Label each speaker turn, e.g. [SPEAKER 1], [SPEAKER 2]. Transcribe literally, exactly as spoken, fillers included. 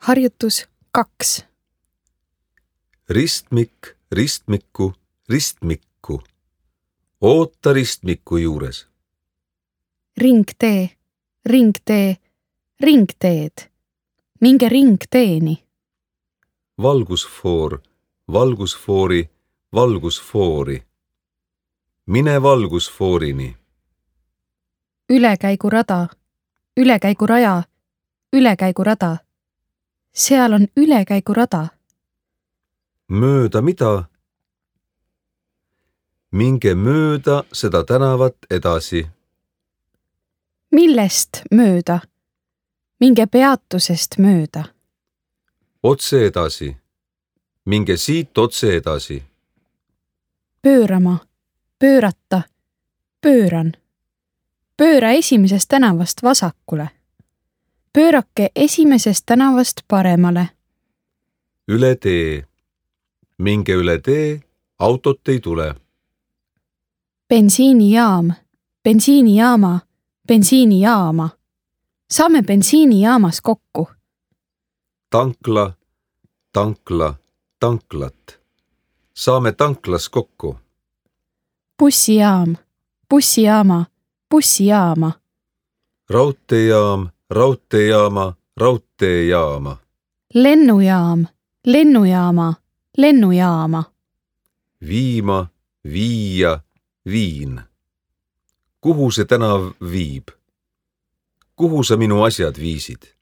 [SPEAKER 1] Harjutus kaks.
[SPEAKER 2] Ristmik, ristmikku, ristmikku. Oota ristmiku juures.
[SPEAKER 1] Ringtee, ringtee, ringteed. Minge ringteeni.
[SPEAKER 2] Valgusfoor, valgusfoori, valgusfoori. Mine valgusfoorini.
[SPEAKER 1] Ülekäigurada, ülekäiguraja, ülekäigurada. Seal on ülekäigurada.
[SPEAKER 2] Mööda mida? Minge mööda seda tänavat edasi.
[SPEAKER 1] Millest mööda? Minge peatusest mööda.
[SPEAKER 2] Otse edasi. Minge siit otse edasi.
[SPEAKER 1] Pöörama, pöörata, pööran. Pööra esimesest tänavast vasakule. Pöörake esimesest tänavast paremale.
[SPEAKER 2] Üle tee. Minge üle tee, autot ei tule.
[SPEAKER 1] Bensiinijaam, bensiinijaama, bensiinijaama. Saame bensiinijaamas kokku.
[SPEAKER 2] Tankla, tankla, tanklat. Saame tanklas kokku.
[SPEAKER 1] Bussijaam, bussijaama, bussijaama.
[SPEAKER 2] Raudteejaam, raudteejaama, raudteejaama.
[SPEAKER 1] Lennujaam, lennujaama, lennujaama.
[SPEAKER 2] Viima, viia, viin. Kuhu see tänav viib? Kuhu sa minu asjad viisid?